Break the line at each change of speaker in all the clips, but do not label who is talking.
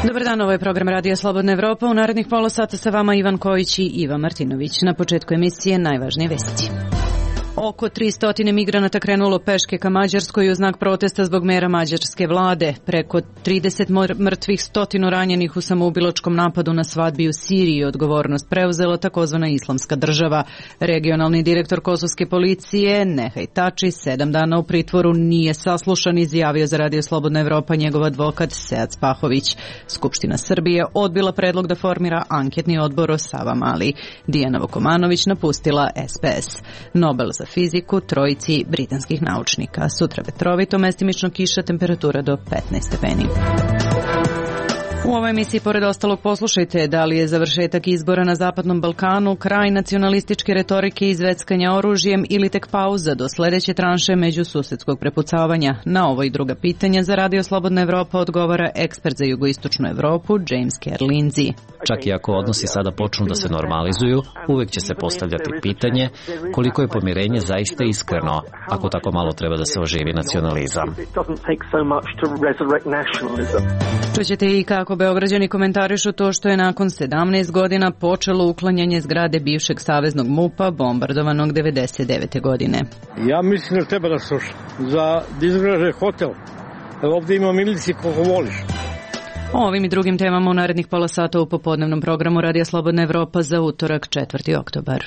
Dobar dan, ovo je program Radija Slobodna Evropa. U narednih pola sata sa vama Ivan Kojić i Iva Martinović. Na početku emisije najvažnije vesti. Oko 300 migranata krenulo peške ka Mađarskoj u znak protesta zbog mera mađarske vlade. Preko 30 mrtvih, 100 ranjenih u samoubilačkom napadu na svadbi u Siriji. Odgovornost preuzela takozvana Islamska država. Regionalni direktor kosovske policije Nehaj Tači 7 dana u pritvoru nije saslušan, izjavio za Radio Slobodna Evropa njegov advokat Sead Spahović. Skupština Srbije odbila predlog da formira anketni odbor o Savamali. Dijana Vukomanović napustila SPS. Nobel za fiziku trojici britanskih naučnika. Sutra vetrovito, mestimično kiša, temperatura do 15 stepeni. U ovoj emisiji, pored ostalog, poslušajte da li je završetak izbora na Zapadnom Balkanu kraj nacionalističke retorike i izveckanja oružjem ili tek pauza do sledeće tranše međususedskog prepucavanja. Na ovo i druga pitanja za Radio Slobodna Evropa odgovara ekspert za jugoistočnu Evropu James Kerr Lindsay.
Čak i ako odnosi sada počnu da se normalizuju, uvek će se postavljati pitanje koliko je pomirenje zaista iskreno, ako tako malo treba da se oživi nacionalizam.
Čućete i kako Beograđani komentarišu to što je nakon 17 godina počelo uklanjanje zgrade bivšeg saveznog MUP-a bombardovanog 99. godine.
Ja mislim da treba da sluša za da izgraže hotel. Ovdje ima milici koliko voliš.
O ovim i drugim temama u narednih pola sata u popodnevnom programu Radija Slobodna Evropa za utorak 4. oktobar.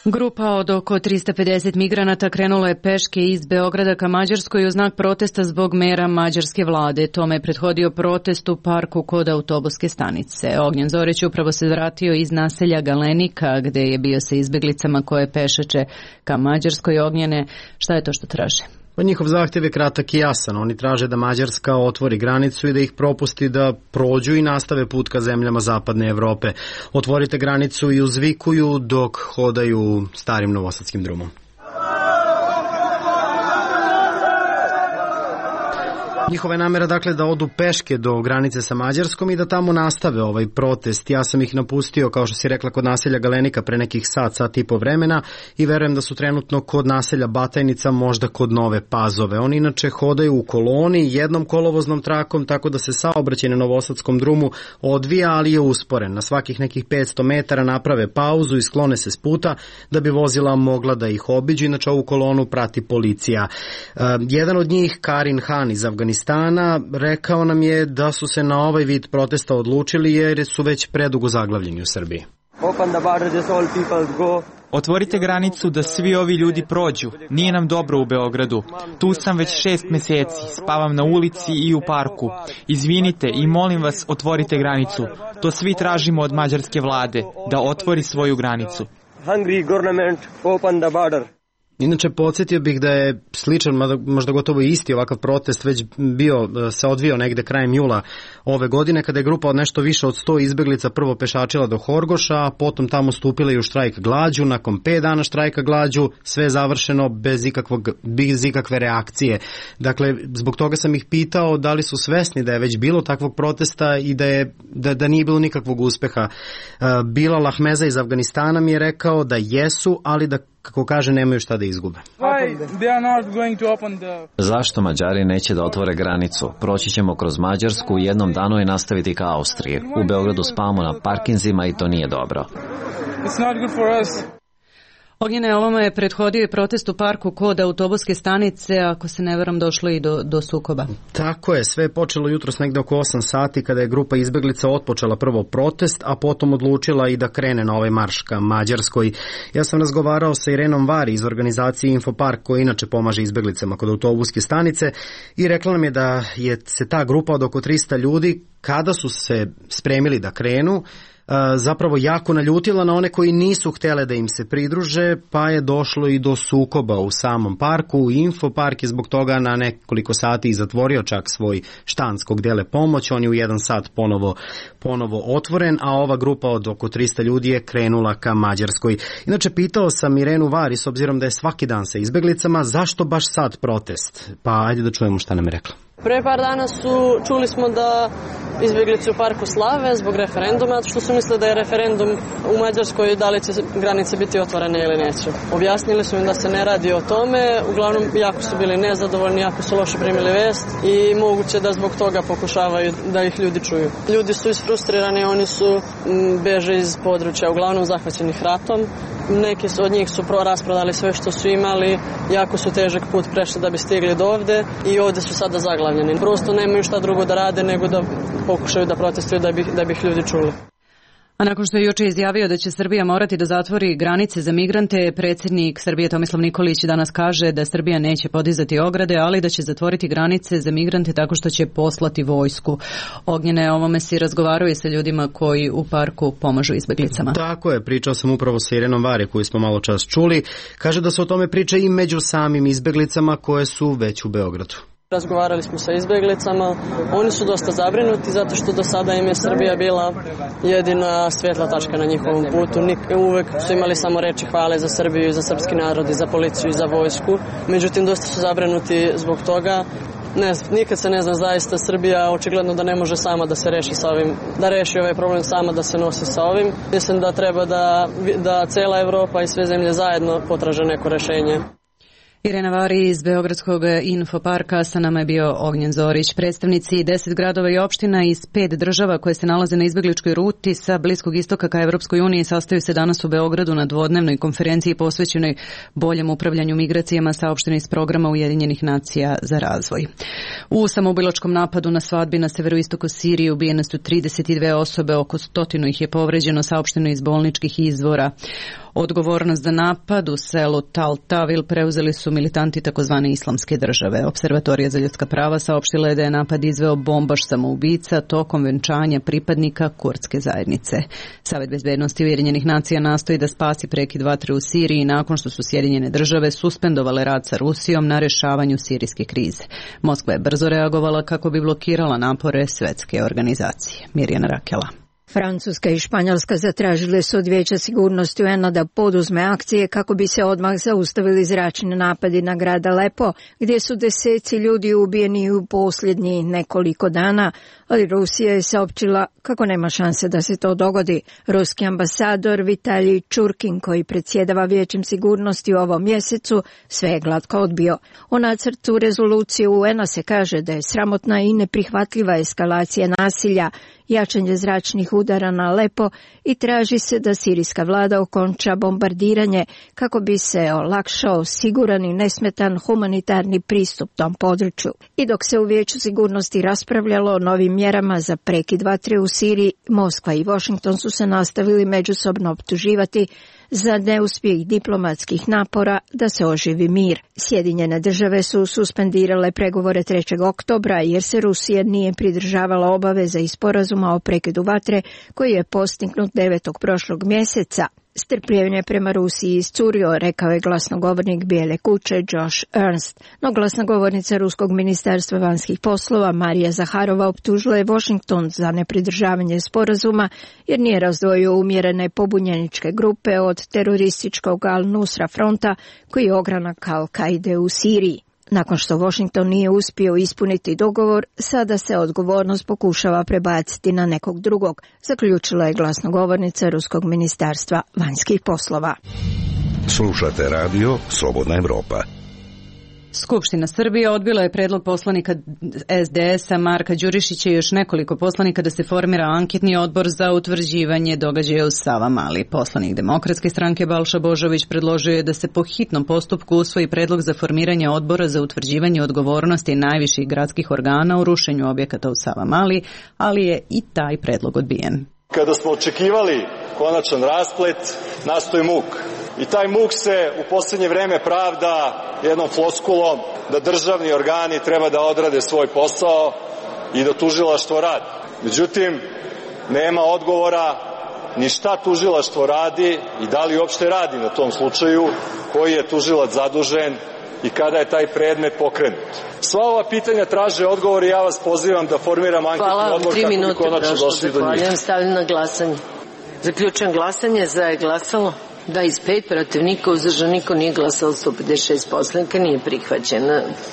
Grupa od oko 350 migranata krenula je peške iz Beograda ka Mađarskoj u znak protesta zbog mera mađarske vlade. Tome je prethodio protest u parku kod autobuske stanice. Ognjen Zoreć upravo se vratio iz naselja Galenika, gde je bio sa izbeglicama koje pešeće ka Mađarskoj. Ognjene, šta je to što traže?
Pa njihov zahtjev je kratak i jasan. Oni traže da Mađarska otvori granicu i da ih propusti da prođu i nastave put ka zemljama zapadne Evrope. Otvorite granicu i uzvikuju dok hodaju starim novosadskim drumom. Njihova je namera dakle da odu peške do granice sa Mađarskom i da tamo nastave ovaj protest. Ja sam ih napustio, kao što si rekla, kod naselja Galenika pre nekih sat i po vremena i verujem da su trenutno kod naselja Batajnica, možda kod Nove Pazove. Oni inače hodaju u koloni jednom kolovoznom trakom, tako da se saobraćaj na novosadskom drumu odvija, ali je usporen. Na svakih nekih 500 metara naprave pauzu i sklone se s puta da bi vozila mogla da ih obiđu. Inače ovu kolonu prati policija. Jedan od njih, Karin Han iz Afganistana, rekao nam je da su se na ovaj vid protesta odlučili jer su već predugo zaglavljeni u Srbiji.
Otvorite granicu da svi ovi ljudi prođu. Nije nam dobro u Beogradu. Tu sam već 6 meseci, spavam na ulici i u parku. Izvinite i molim vas, otvorite granicu. To svi tražimo od mađarske vlade, da otvori svoju granicu.
Hungry government, open the border.
Inače, podsjetio bih da je sličan, možda gotovo isti ovakav protest već se odvio negde krajem jula ove godine, kada je grupa od nešto više od 100 izbeglica prvo pešačila do Horgoša, a potom tamo stupila i u štrajk glađu. Nakon 5 dana štrajka glađu, sve je završeno bez ikakve reakcije. Dakle, zbog toga sam ih pitao da li su svesni da je već bilo takvog protesta i da nije bilo nikakvog uspeha. Bilal Ahmeza iz Afganistana mi je rekao da jesu, ali da, kako kaže, nemaju šta da izgube.
Zašto Mađari neće da otvore granicu? Proći ćemo kroz Mađarsku u jednom danu i nastaviti ka Austriji. U Beogradu spavamo na parkinzima i to nije dobro.
Ognjene, ovome je prethodio i protest u parku kod autobuske stanice, ako se ne varam došlo i do sukoba.
Tako je, sve je počelo jutros negde oko 8 sati kada je grupa izbeglica otpočela prvo protest, a potom odlučila i da krene na ovaj marš ka Mađarskoj. Ja sam razgovarao sa Irenom Vari iz organizacije Infopark, koja inače pomaže izbeglicama kod autobuske stanice, i rekla nam je da se ta grupa od oko 300 ljudi, kada su se spremili da krenu, zapravo jako naljutila na one koji nisu htjele da im se pridruže, pa je došlo i do sukoba u samom parku. Infopark je zbog toga na nekoliko sati zatvorio čak svoj štand kog dele pomoć. On je u 1 sat ponovo otvoren, a ova grupa od oko 300 ljudi je krenula ka Mađarskoj. Inače, pitao sam Irenu Vari, s obzirom da je svaki dan sa izbeglicama, zašto baš sad protest? Pa ajde da čujemo šta nam je rekla.
Pre par dana čuli smo da Izbjeglice u parku slave zbog referenduma, što su mislili da je referendum u Mađarskoj da li će granice biti otvorene ili neće. Objasnili su im da se ne radi o tome, uglavnom jako su bili nezadovoljni, jako su loše primili vest i moguće da zbog toga pokušavaju da ih ljudi čuju. Ljudi su isfrustrirani, oni su beže iz područja uglavnom zahvaćenih ratom. Neki od njih su rasprodali sve što su imali, jako su težak put prešli da bi stigli do ovde i ovde su sada zaglavljeni. Prosto nemaju šta drugo da rade nego da pokušaju da protestuju da bi ih ljudi čuli.
A nakon što je juče izjavio da će Srbija morati da zatvori granice za migrante, predsjednik Srbije Tomislav Nikolić danas kaže da Srbija neće podizati ograde, ali da će zatvoriti granice za migrante tako što će poslati vojsku. Ognjene, o ovome si razgovarao i sa ljudima koji u parku pomažu izbeglicama.
Tako je, pričao sam upravo sa Irenom Vari koju smo malo čas čuli. Kaže da se o tome priča i među samim izbeglicama koje su već u Beogradu.
Razgovarali smo sa izbeglicama, oni su dosta zabrinuti zato što do sada im je Srbija bila jedina svetla tačka na njihovom putu. Uvek su imali samo reči hvale za Srbiju i za srpski narod i za policiju i za vojsku. Međutim, dosta su zabrinuti zbog toga. Nikad se ne zna zaista, Srbija očigledno da ne može sama da se reši sa ovim, da reši ovaj problem sama, da se nosi sa ovim. Mislim da treba da cela Evropa i sve zemlje zajedno potraže neko rešenje.
Irena Vari iz Beogradskog infoparka, sa nama je bio Ognjen Zorić. Predstavnici 10 gradova i opština iz 5 država koje se nalaze na izbegličkoj ruti sa Bliskog istoka ka Evropskoj uniji sastaju se danas u Beogradu na dvodnevnoj konferenciji posvećenoj boljem upravljanju migracijama, saopšteno iz programa Ujedinjenih nacija za razvoj. U samoubilačkom napadu na svadbi na severoistoku Sirije ubijene su 32 osobe, oko 100 ih je povređeno, saopšteno iz bolničkih izvora. Odgovornost za napad u selu Tal Tavil preuzeli su militanti takozvane islamske države. Observatorija za ljudska prava saopštila je da je napad izveo bombaš samoubica tokom venčanja pripadnika kurdske zajednice. Savet bezbednosti Ujedinjenih nacija nastoji da spasi prekid vatre u Siriji nakon što su Sjedinjene države suspendovale rad sa Rusijom na rešavanju sirijske krize. Moskva je brzo reagovala kako bi blokirala napore svetske organizacije. Mirjana Rakela.
Francuska i Španjolska zatražile su od Vijeća sigurnosti UN-a da poduzme akcije kako bi se odmah zaustavili zračni napadi na grad Alepo, gdje su deseci ljudi ubijeni u posljednjih nekoliko dana, ali Rusija je saopćila kako nema šanse da se to dogodi. Ruski ambasador Vitalij Čurkin, koji predsjedava Vijećem sigurnosti u ovom mjesecu, sve je glatko odbio. O nacrtu rezolucije UN-a se kaže da je sramotna i neprihvatljiva eskalacija nasilja, jačanje zračnih udara na Alepo i traži se da sirijska vlada okonča bombardiranje kako bi se olakšao siguran i nesmetan humanitarni pristup tom području. I dok se u Vijeću sigurnosti raspravljalo o novim mjerama za prekid vatre u Siriji, Moskva i Washington su se nastavili međusobno optuživati za neuspjeh diplomatskih napora da se oživi mir. Sjedinjene države su suspendirale pregovore 3. oktobra jer se Rusija nije pridržavala obaveza iz sporazuma o prekidu vatre koji je postignut 9. prošlog mjeseca. Strpljenje prema Rusiji iscurio, rekao je glasnogovornik Bijele kuće Josh Ernst. No glasnogovornica Ruskog ministarstva vanjskih poslova Marija Zaharova optužila je Washington za nepridržavanje sporazuma jer nije razdvojio umjerene pobunjeničke grupe od terorističkog Al-Nusra fronta koji je ogranak Al-Kaide u Siriji. Nakon što Washington nije uspio ispuniti dogovor, sada se odgovornost pokušava prebaciti na nekog drugog, zaključila je glasnogovornica Ruskog ministarstva vanjskih poslova.
Slušate radio Slobodna Evropa.
Skupština Srbije odbila je predlog poslanika SDS-a Marka Đurišića i još nekoliko poslanika da se formira anketni odbor za utvrđivanje događaja u Savamali. Poslanik Demokratske stranke Balša Božović predložio je da se po hitnom postupku usvoji predlog za formiranje odbora za utvrđivanje odgovornosti najviših gradskih organa u rušenju objekata u Savamali, ali je i taj predlog odbijen.
Kada smo očekivali konačan rasplet, nastoji muk. I taj muk se u posljednje vreme pravda jednom floskulom da državni organi treba da odrade svoj posao i da tužilaštvo radi. Međutim, nema odgovora ni šta tužilaštvo radi i da li uopšte radi na tom slučaju, koji je tužilac zadužen i kada je taj predmet pokrenut. Sva ova pitanja traže odgovor i ja vas pozivam da formiram anketni odbor kako bi konačno došli do njih.
Stavljam na glasanje. Zaključujem glasanje. Za je glasalo 25, protiv niko, uzdržan niko, nije glasalo 156 poslanika, nije prihvaćen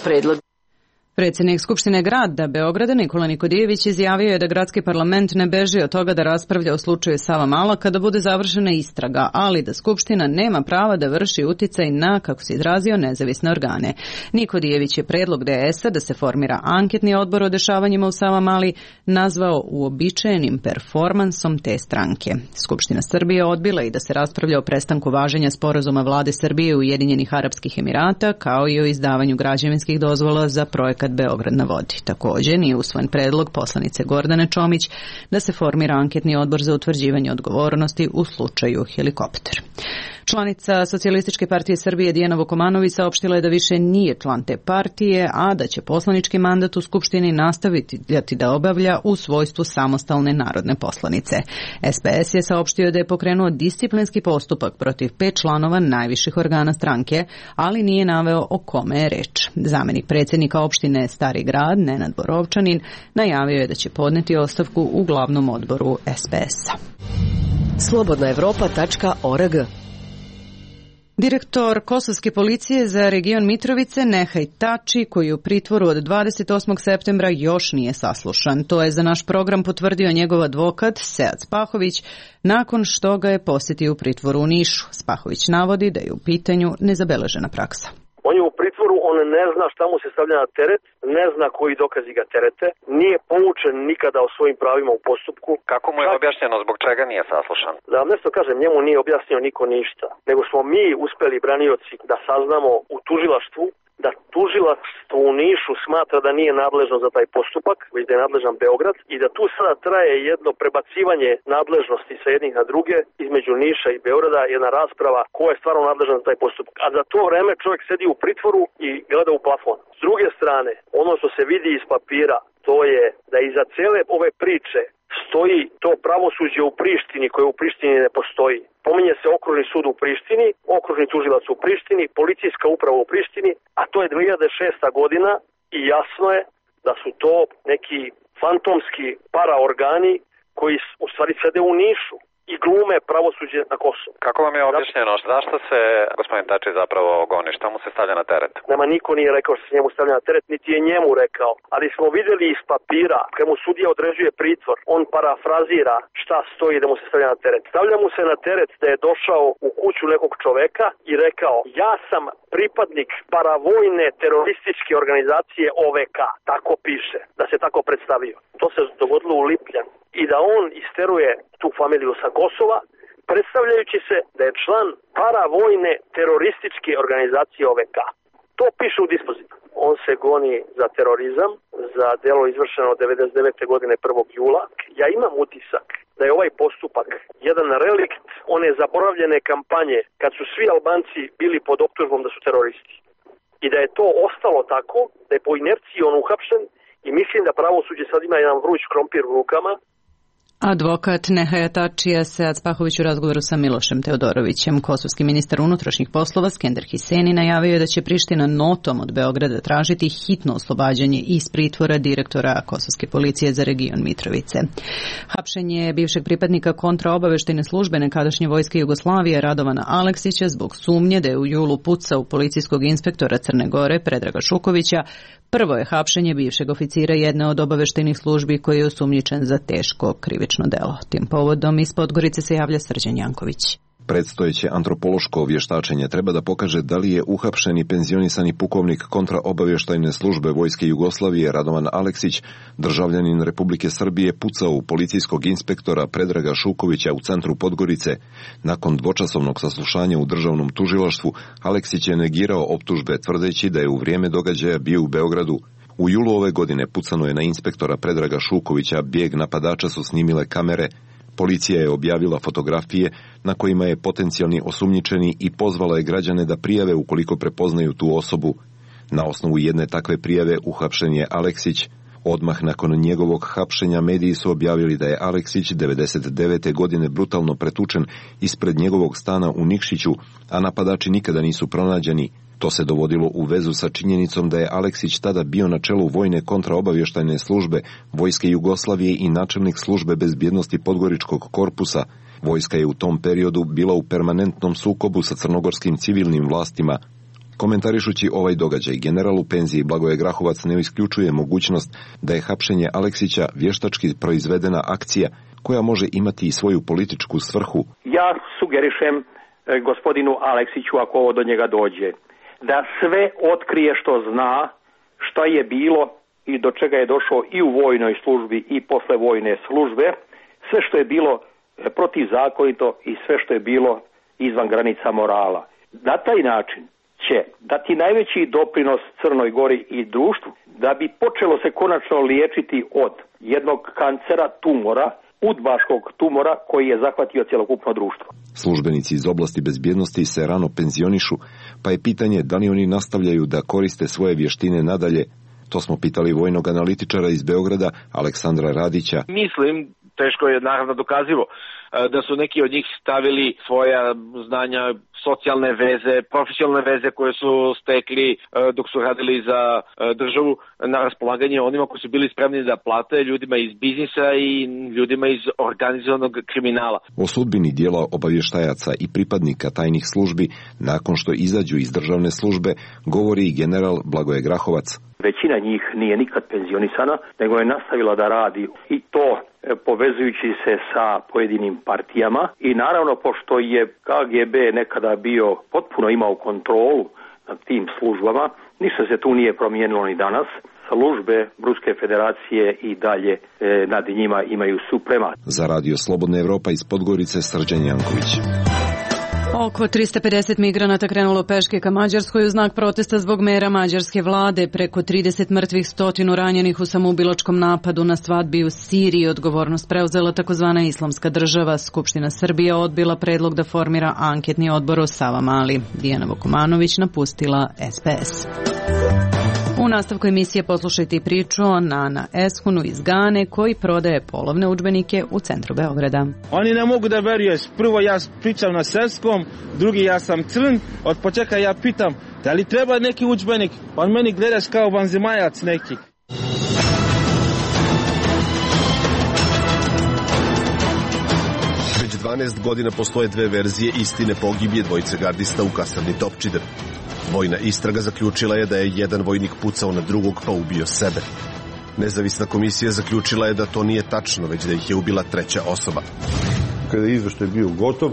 predlog.
Predsjednik Skupštine grada Beograda Nikola Nikodijević izjavio je da gradski parlament ne beži od toga da raspravlja o slučaju Savamala kada bude završena istraga, ali da Skupština nema prava da vrši uticaj na, kako se izrazio, nezavisne organe. Nikodijević je predlog DS-a da se formira anketni odbor o dešavanjima u Savamali nazvao uobičajenim performansom te stranke. Skupština Srbije odbila i da se raspravlja o prestanku važenja sporazuma vlade Srbije i Ujedinjenih Arapskih Emirata, kao i o izdavanju građevinskih dozvola za projekat Beograd na vodi. Također nije usvojen predlog poslanice Gordane Čomić da se formira anketni odbor za utvrđivanje odgovornosti u slučaju helikopter. Članica Socijalističke partije Srbije Dijana Vukomanović saopštila je da više nije član te partije, a da će poslanički mandat u Skupštini nastaviti da obavlja u svojstvu samostalne narodne poslanice. SPS je saopštio da je pokrenuo disciplinski postupak protiv 5 članova najviših organa stranke, ali nije naveo o kome je reč. Zamenik predsjednika opštine Stari Grad, Nenad Borovčanin, najavio je da će podneti ostavku u glavnom odboru SPS-a.
Slobodnaevropa.org.
Direktor Kosovske policije za region Mitrovice Nehaj Tači, koji je u pritvoru od 28. septembra još nije saslušan. To je za naš program potvrdio njegov advokat Sead Spahović nakon što ga je posjetio u pritvoru u Nišu. Spahović navodi da je u pitanju nezabeležena praksa.
On je u pritvoru, on ne zna šta mu se stavlja na teret, ne zna koji dokazi ga terete, nije poučen nikada o svojim pravima u postupku.
Kako mu je objašnjeno zbog čega nije saslušan?
Da vam nešto kažem, njemu nije objasnio niko ništa, nego smo mi uspeli branioci da saznamo u tužilaštvu da tužilaštvo u Nišu smatra da nije nadležno za taj postupak, već da je nadležan Beograd i da tu sada traje jedno prebacivanje nadležnosti sa jednih na druge između Niša i Beograda, jedna rasprava ko je stvarno nadležan za taj postupak. A za to vreme čovjek sedi u pritvoru i gleda u plafon. S druge strane, ono što se vidi iz papira, to je da iza cele ove priče stoji to pravosuđe u Prištini koje u Prištini ne postoji. Pominje se okružni sud u Prištini, okružni tužilac u Prištini, policijska uprava u Prištini, a to je 2006. godina i jasno je da su to neki fantomski paraorgani koji u stvari sede u Nišu i glume pravosuđe na Kosovu.
Kako vam je objašnjeno zašto se gospodin Tači zapravo goni, šta mu se stavlja na teret?
Nema, niko nije rekao što se njemu stavlja na teret, niti je njemu rekao, ali smo vidjeli iz papira, kad mu sudija određuje pritvor, on parafrazira šta stoji da mu se stavlja na teret. Stavlja mu se na teret da je došao u kuću nekog čoveka i rekao, ja sam pripadnik paravojne terorističke organizacije OVK, tako piše, da se tako predstavio. To se dogodilo u Lipljanu i da on isteruje tu familiju sa Kosova, predstavljajući se da je član paravojne terorističke organizacije OVK. To piše u dispozitu. On se goni za terorizam, za delo izvršeno 99. godine 1. jula. Ja imam utisak da je ovaj postupak jedan relikt one zaboravljene kampanje kad su svi Albanci bili pod optužbom da su teroristi. I da je to ostalo tako, da je po inerciji on uhapšen i mislim da pravosuđe sad ima jedan vruć krompir u rukama.
Advokat Nehaja Tačija Sead Spahović u razgovoru sa Milošem Teodorovićem. Kosovski ministar unutrašnjih poslova Skender Hiseni najavio je da će Priština notom od Beograda tražiti hitno oslobađanje iz pritvora direktora Kosovske policije za region Mitrovice. Hapšenje bivšeg pripadnika kontraobaveštajne službe nekadašnje vojske Jugoslavije Radovana Aleksića zbog sumnje da je u julu pucao policijskog inspektora Crne Gore Predraga Šukovića prvo je hapšenje bivšeg oficira jedne od obaveštajnih službi koji je osumnjičen za teško krivično delo. Tim povodom iz Podgorice se javlja Srđan Janković.
Predstojeće antropološko vještačenje treba da pokaže da li je uhapšeni penzionisani pukovnik kontraobavještajne službe Vojske Jugoslavije Radovan Aleksić, državljanin Republike Srbije, pucao u policijskog inspektora Predraga Šukovića u centru Podgorice. Nakon dvočasovnog saslušanja u državnom tužilaštvu, Aleksić je negirao optužbe tvrdeći da je u vrijeme događaja bio u Beogradu. U julu ove godine pucano je na inspektora Predraga Šukovića, bijeg napadača su snimile kamere. Policija je objavila fotografije na kojima je potencijalni osumnjičeni i pozvala je građane da prijave ukoliko prepoznaju tu osobu. Na osnovu jedne takve prijave uhapšen je Aleksić. Odmah nakon njegovog hapšenja mediji su objavili da je Aleksić 99. godine brutalno pretučen ispred njegovog stana u Nikšiću, a napadači nikada nisu pronađeni. To se dovodilo u vezu sa činjenicom da je Aleksić tada bio na čelu vojne kontraobavještajne službe Vojske Jugoslavije i načelnik službe bezbjednosti Podgoričkog korpusa. Vojska je u tom periodu bila u permanentnom sukobu sa crnogorskim civilnim vlastima. Komentarišući ovaj događaj, general u penziji Blagoje Grahovac ne isključuje mogućnost da je hapšenje Aleksića vještački proizvedena akcija koja može imati i svoju političku svrhu.
Ja sugerišem gospodinu Aleksiću, ako ovo do njega dođe, da sve otkrije što zna, šta je bilo i do čega je došao i u vojnoj službi i posle vojne službe, sve što je bilo protivzakonito i sve što je bilo izvan granica morala. Na taj način će dati najveći doprinos Crnoj Gori i društvu da bi počelo se konačno liječiti od jednog kancera tumora, udbaškog tumora koji je zahvatio cjelokupno društvo.
Službenici iz oblasti bezbjednosti se rano penzionišu, pa je pitanje da li oni nastavljaju da koriste svoje vještine nadalje. To smo pitali vojnog analitičara iz Beograda, Aleksandra Radića.
Mislim, teško je naravno dokazivo, da su neki od njih stavili svoja znanja, socijalne veze, profesionalne veze koje su stekli dok su radili za državu na raspolaganje onima koji su bili spremni da plate, ljudima iz biznisa i ljudima iz organizovanog kriminala.
O sudbini dijela obavještajaca i pripadnika tajnih službi nakon što izađu iz državne službe govori i general Blagoje Grahovac.
Većina njih nije nikad penzionisana, nego je nastavila da radi i to povezujući se sa pojedinim partijama i naravno pošto je KGB nekada bio potpuno imao kontrolu nad tim službama, ništa se tu nije promijenilo ni danas. Službe Ruske federacije i dalje nad njima imaju supremat.
Za Radio Slobodna Evropa iz Podgorice, Srđan Janković.
Oko 350 migranata krenulo peške ka Mađarskoj u znak protesta zbog mera mađarske vlade. Preko 30 mrtvih, 100 ranjenih u samoubilačkom napadu na svadbi u Siriji. Odgovornost preuzela takozvana Islamska država. Skupština Srbije odbila predlog da formira anketni odbor o Savamali. Dijana Vukomanović napustila SPS. U nastavku emisije poslušajte i priču o Nana Eshunu iz Gane koji prodaje polovne udžbenike u centru Beograda.
Oni ne mogu da veruju. Prvo ja pričam na srpskom, drugi ja sam crn. Od početka ja pitam da li treba neki udžbenik. On meni gledaš kao vanzemajac neki.
Već 12 godina postoje dve verzije istine pogibije dvojice gardista u kasarni Topčider. Vojna istraga zaključila je da je jedan vojnik pucao na drugog pa ubio sebe. Nezavisna komisija zaključila je da to nije tačno, već da ih je ubila treća osoba.
Kada je izveštaj bio gotov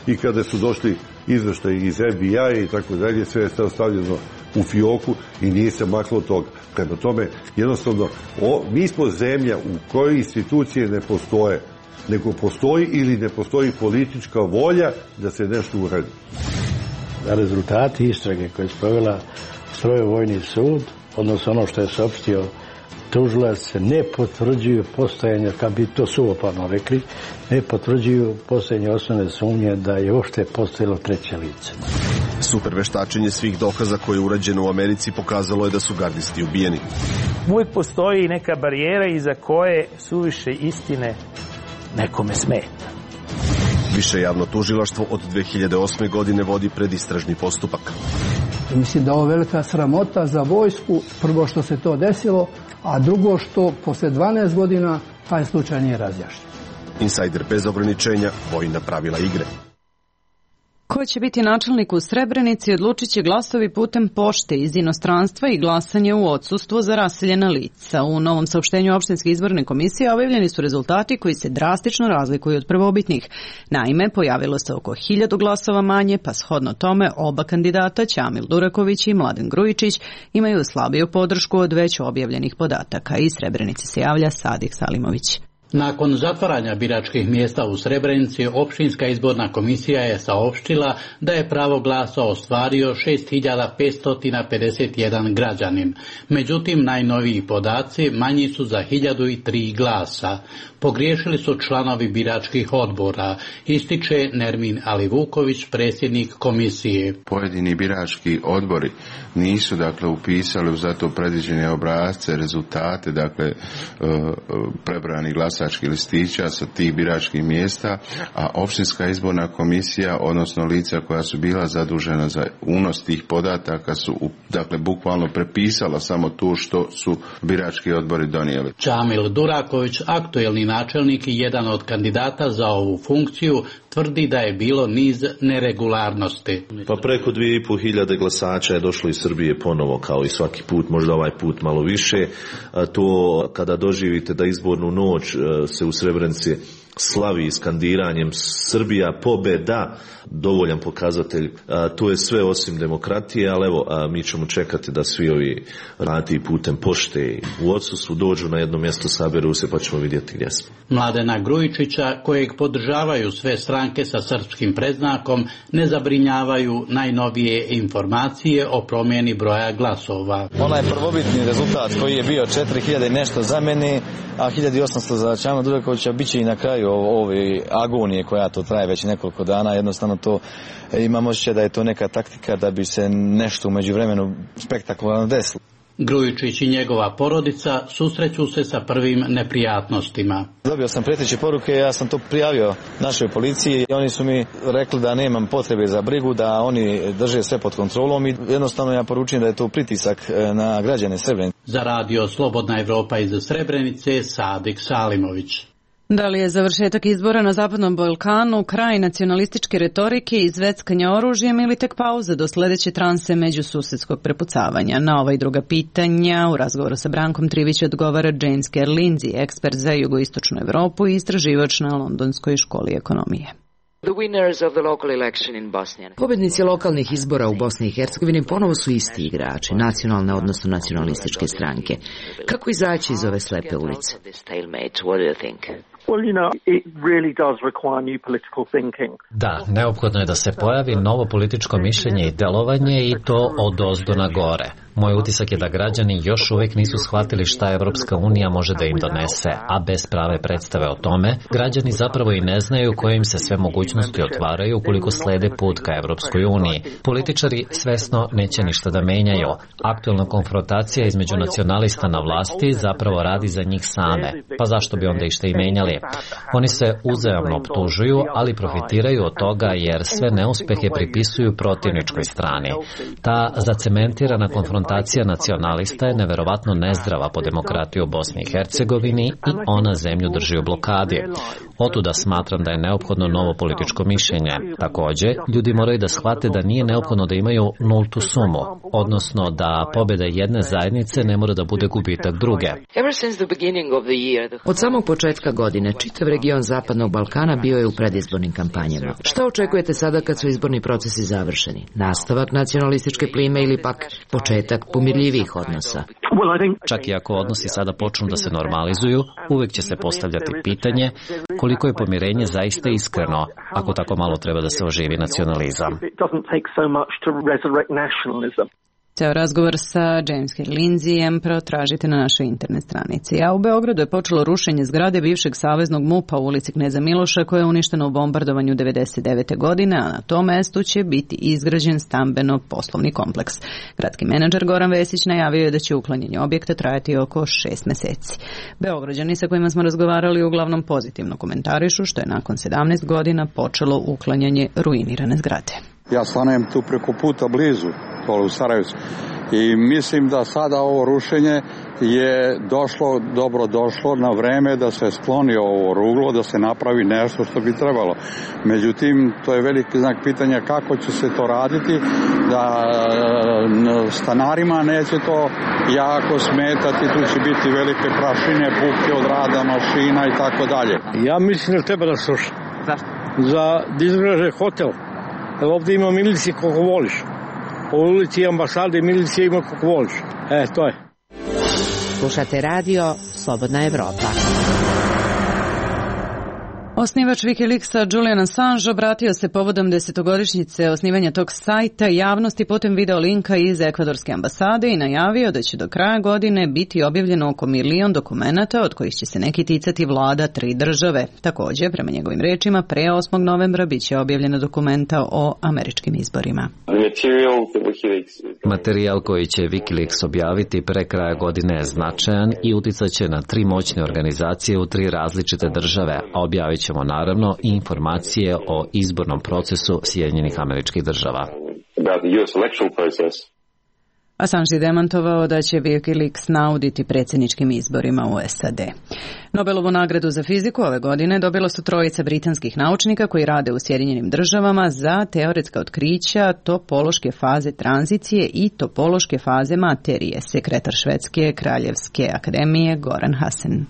i kada su došli izveštaj iz FBI i tako dalje, sve je stavljeno u fioku i nije se maklo od toga. Prema tome, jednostavno, mi smo zemlja u kojoj institucije ne postoje, nego postoji ili ne postoji politička volja da se nešto uradi.
Da rezultati istrage koje je sprovela Strojevojni sud, odnosno ono što je saopštio tužilac, ne potvrđuju postojanje, kad bi to suvoparno rekli, ne potvrđuju postojanje osnovne sumnje da je uopšte postojalo treće lice.
Super veštačenje svih dokaza koje je urađeno u Americi pokazalo je da su gardisti ubijeni.
Uvijek postoji neka barijera iza koje suviše istine nekome smeta.
Više javno tužilaštvo od 2008. godine vodi predistražni postupak.
Mislim da je ovo velika sramota za vojsku, prvo što se to desilo, a drugo što posle 12 godina taj slučaj nije razjašnjen.
Insajder bez ograničenja, vojna pravila igre.
Ko će biti načelnik u Srebrenici odlučit će glasovi putem pošte iz inostranstva i glasanje u odsustvo za raseljena lica. U novom saopštenju opštinske izborne komisije objavljeni su rezultati koji se drastično razlikuju od prvobitnih. Naime, pojavilo se oko 1000 glasova manje, pa shodno tome oba kandidata, Ćamil Duraković i Mladen Grujičić, imaju slabiju podršku od već objavljenih podataka. Iz Srebrenice se javlja Sadik Salimović.
Nakon zatvaranja biračkih mjesta u Srebrenici, opštinska izborna komisija je saopštila da je pravo glasa ostvario 6551 građanin. Međutim, najnoviji podaci manji su za 1003 glasa. Pogriješili su članovi biračkih odbora, ističe Nermin Alivuković, predsjednik komisije.
Pojedini birački odbori nisu upisali u zato predviđene obrasce, rezultate, prebrani glasovi glasačkih listića sa tih biračkih mjesta, a općinska izborna komisija, odnosno lica koja su bila zadužena za unos tih podataka su dakle bukvalno prepisala samo tu što su birački odbori donijeli.
Čamil Duraković, aktuelni načelnik i jedan od kandidata za ovu funkciju, tvrdi da je bilo niz neregularnosti.
Pa preko 2500 glasača je došlo iz Srbije ponovo, kao i svaki put, možda ovaj put malo više. To kada doživite da izbornu noć se u Srebrenici slavi skandiranjem Srbija pobeda, dovoljan pokazatelj. To je sve osim demokratije, ali evo, mi ćemo čekati da svi ovi rati putem pošte u odsustvu dođu na jedno mjesto, saberu se, pa ćemo vidjeti gdje smo.
Mladena Grujičića, kojeg podržavaju sve stranke sa srpskim predznakom, ne zabrinjavaju najnovije informacije o promjeni broja glasova.
Onaj prvobitni rezultat koji je bio 4000 i nešto za mene, a 1800 za Čamila Durakovića, bit će i na kraju ove agonije koja to traje već nekoliko dana. Jednostavno to imam osjećaj da je to neka taktika da bi se nešto u međuvremenu spektakularno desilo.
Grujičić i njegova porodica susreću se sa prvim neprijatnostima.
Dobio sam prijeteće poruke, ja sam to prijavio našoj policiji i oni su mi rekli da nemam potrebe za brigu, da oni drže sve pod kontrolom i jednostavno ja poručujem da je to pritisak na građane Srebrenice.
Za radio Slobodna Evropa iz Srebrenice, Sadik Salimović.
Da li je završetak izbora na Zapadnom Balkanu kraj nacionalističke retorike i zveckanja oružjem ili tek pauza do sledeće transe međususedskog prepucavanja? Na ova i druga pitanja u razgovoru sa Brankom Trivić odgovara James Kerr-Lindsey, ekspert za jugoistočnu Evropu i istraživač na Londonskoj školi ekonomije.
Pobednici lokalnih izbora u Bosni i Hercegovini ponovo su isti igrači, nacionalne odnosno nacionalističke stranke. Kako izaći iz ove slepe ulice?
Da, neophodno je da se pojavi novo političko mišljenje i delovanje i to od ozdo na gore. Moj utisak je da građani još uvijek nisu shvatili šta Evropska unija može da im donese, a bez prave predstave o tome, građani zapravo i ne znaju koje im se sve mogućnosti otvaraju ukoliko slede put ka Evropskoj uniji. Političari svesno neće ništa da menjaju. Aktualna konfrontacija između nacionalista na vlasti zapravo radi za njih same. Pa zašto bi onda išta i menjali? Oni se uzajamno optužuju, ali profitiraju od toga jer sve neuspehe pripisuju protivničkoj strani. Ta zacementirana konfrontacija nacionalista je neverovatno nezdrava po demokratiju u Bosni i Hercegovini i ona zemlju drži u blokadi. Otuda smatram da je neophodno novo političko mišljenje. Takođe, ljudi moraju da shvate da nije neophodno da imaju nultu sumu, odnosno da pobjeda jedne zajednice ne mora da bude gubitak druge.
Od samog početka godine, čitav region Zapadnog Balkana bio je u predizbornim kampanjama. Šta očekujete sada kad su izborni procesi završeni? Nastavak nacionalističke plime ili pak početak pomirljivih odnosa?
Čak i ako odnosi sada počnu da se normalizuju, uvek će se postavljati pitanje koliko je pomirenje zaista iskreno, ako tako malo treba da se oživi nacionalizam.
Ceo razgovor sa James Kerr-Lindseyem protražite na našoj internet stranici. A u Beogradu je počelo rušenje zgrade bivšeg saveznog MUP-a u ulici Kneza Miloša koja je uništena u bombardovanju 1999. godine, a na tom mestu će biti izgrađen stambeno-poslovni kompleks. Gradski menadžer Goran Vesić najavio je da će uklanjanje objekta trajati oko 6 meseci. Beograđani sa kojima smo razgovarali uglavnom pozitivno komentarišu što je nakon 17 godina počelo uklanjanje ruinirane zgrade.
Ja stanujem tu preko puta blizu, tole u Sarajevcu. I mislim da sada ovo rušenje je dobro došlo na vreme da se skloni ovo ruglo, da se napravi nešto što bi trebalo. Međutim, to je veliki znak pitanja kako će se to raditi, da stanarima neće to jako smetati, tu će biti velike prašine, buke od rada mašina i tako dalje.
Ja mislim da treba da sluša. Zašto? Da izgraže hotel. Ovdje ima milicije koliko voliš. Po ulici ambasade milicije ima koliko voliš. To je.
Slušate radio Slobodna Evropa.
Osnivač Wikileaksa Julian Assange obratio se povodom 10-godišnjice osnivanja tog sajta javnosti putem video linka iz ekvadorske ambasade i najavio da će do kraja godine biti objavljeno oko 1 milion dokumenata, od kojih će se neki ticati vlada 3 države. Također, prema njegovim rečima, pre 8. novembra bit će objavljena dokumenta o američkim izborima.
Materijal koji će Wikileaks objaviti pre kraja godine je značajan i uticat će na 3 moćne organizacije u 3 različite države, a objavit ćemo naravno i informacije o izbornom procesu Sjedinjenih Američkih Država.
Assange je demantovao da će Wikileaks nauditi predsjedničkim izborima u SAD. Nobelovu nagradu za fiziku ove godine dobilo su 3 britanskih naučnika koji rade u Sjedinjenim Državama za teoretska otkrića topološke faze tranzicije i topološke faze materije, sekretar Švedske kraljevske akademije Goran Hassen.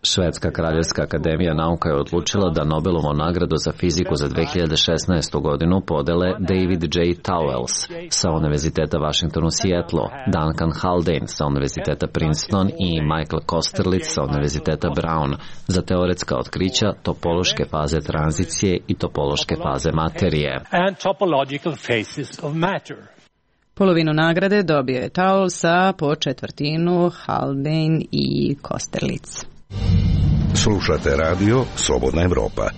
Švedska kraljevska akademija nauka je odlučila da Nobelovu nagradu za fiziku za 2016. godinu podele David J. Towles sa Univerziteta Washington u Seattlu, Duncan Haldane sa Univerziteta Princeton i Michael Kosterlitz sa Univerziteta Brown za teoretska otkrića topološke faze tranzicije i topološke faze materije.
Polovinu nagrade dobio je Towles, a po četvrtinu Haldane i Kosterlitz.
Slušate radio Slobodna Evropa.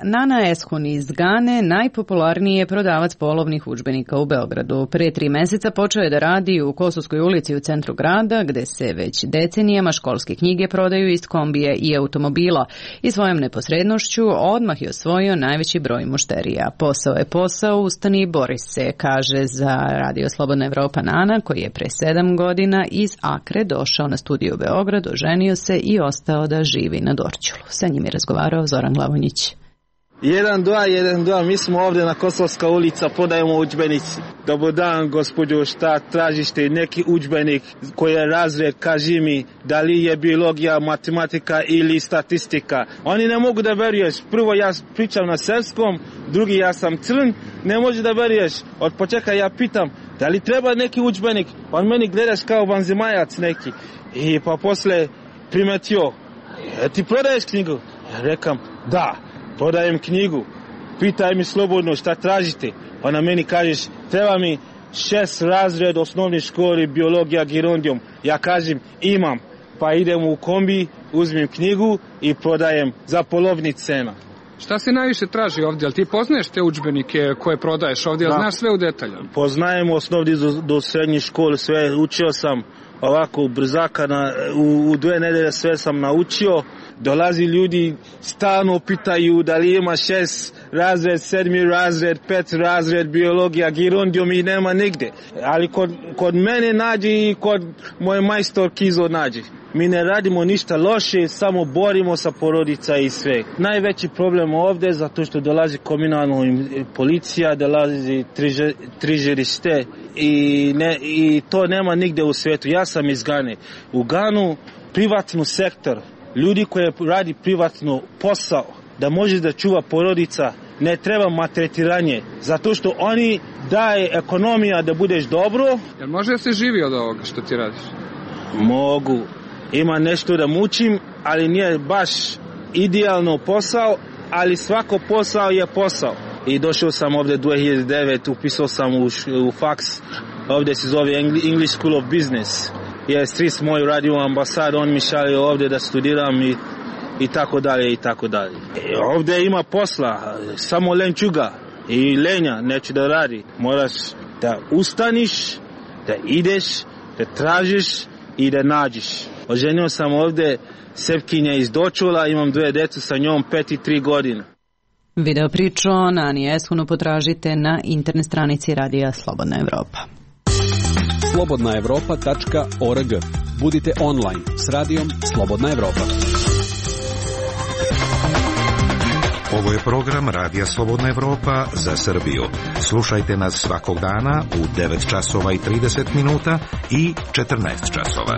Nana Eshun iz Gane najpopularniji je prodavac polovnih udžbenika u Beogradu. Pre 3 meseca počeo je da radi u Kosovskoj ulici u centru grada, gde se već decenijama školske knjige prodaju iz kombije i automobila. I svojom neposrednošću odmah je osvojio najveći broj mušterija. Posao je posao, ustani i bori se, kaže za radio Slobodna Evropa Nana, koji je pre 7 godina iz Akre došao na studiju u Beograd, oženio se i ostao da živi na Dorćolu. Sa njim je razgovarao Zoran Glavonjić.
1-2, mi smo ovdje na Kosovska ulica, podajemo udžbenici. Dobar dan, gospođo, šta tražite? Neki udžbenik koji je razred, kaži mi, da li je biologija, matematika ili statistika. Oni ne mogu da veruješ. Prvo ja pričam na srpskom, drugi ja sam crn, ne može da veruješ. Od početka ja pitam, da li treba neki udžbenik? On meni gledaš kao vanzemajac neki. I pa posle primetio, ti prodaješ knjigu? Ja rekam, da. Prodajem knjigu, pitaj mi slobodno šta tražite. Ona meni kažeš, treba mi 6 razred osnovne škole, biologija, gerondijum. Ja kažem, imam, pa idem u kombi, uzmem knjigu i prodajem za polovni cena.
Šta se najviše traži ovdje? Ali ti poznaješ te udžbenike koje prodaješ ovdje? Da. Znaš sve u detalju?
Poznajem osnovni do srednje škole, sve učio sam ovako brzaka, u 2 nedelje sve sam naučio. Dolazi ljudi, stalno pitaju da li ima 6 razred, 7 razred, 5 razred, biologija, gerondijum i nema nigde. Ali kod mene nađe i kod moje majstor Kizo nađe. Mi ne radimo ništa loše, samo borimo sa porodica i sve. Najveći problem ovdje zato što dolazi komunalna policija, dolazi trižerište i to nema nigde u svijetu. Ja sam iz Gane. U Ganu privatnu sektor, ljudi koji radi privatno posao, da može da čuva porodica, ne treba maltretiranje, zato što oni daje ekonomija da budeš dobro.
Jel može da se živi od ovoga što ti radiš?
Mogu. Ima nešto da mučim, ali nije baš idealno posao, ali svako posao je posao. I došao sam ovdje 2009, upisao sam u faks, ovdje se zove English School of Business. Jer stric moj radi u ambasadu, on mi šalje ovdje da studiram i tako dalje i tako dalje. Ovdje ima posla, samo lenčuga i lenja neće da radi. Moraš da ustaniš, da ideš, da tražiš i da nađeš. Oženio sam ovdje Srpkinja iz Dorćola, imam 2 djecu sa njom, 5 i 3 godine.
Video priču o Nani Eshunu potražite na internet stranici Radija Slobodna Evropa.
slobodnaevropa.org. Budite online s radijom Slobodna Evropa.
Ovo je program Radija Slobodna Evropa za Srbiju. Slušajte nas svakog dana u 9 časova i 30 minuta i 14 časova.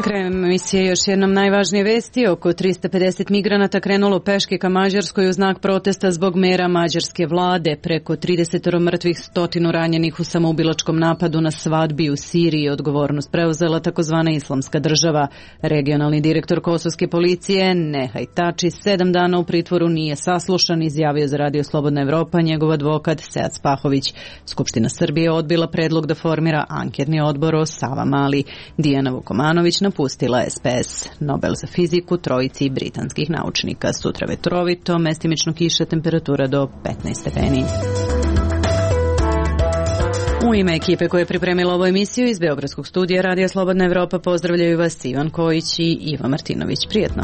Krajem emisije još jednom najvažnije vesti. Oko 350 migranata krenulo peške ka Mađarskoj u znak protesta zbog mera mađarske vlade. Preko 30 mrtvih, 100 ranjenih u samoubilačkom napadu na svadbi u Siriji. Odgovornost preuzela takozvana Islamska država. Regionalni direktor kosovske policije Nehaj Tači 7 dana u pritvoru nije saslušan, izjavio za Radio Slobodna Evropa njegov advokat Sead Spahović. Skupština Srbije odbila predlog da formira anketni odbor o Savamali. Dijana Vukomanović napustila SPS. Nobel za fiziku trojici britanskih naučnika. Sutra vetrovito, mestimično kiša, temperatura do 15 stepeni. U ime ekipe koja je pripremila ovu emisiju iz Beogradskog studija Radija Slobodna Evropa pozdravljaju vas Ivan Kojić i Iva Martinović. Prijetno.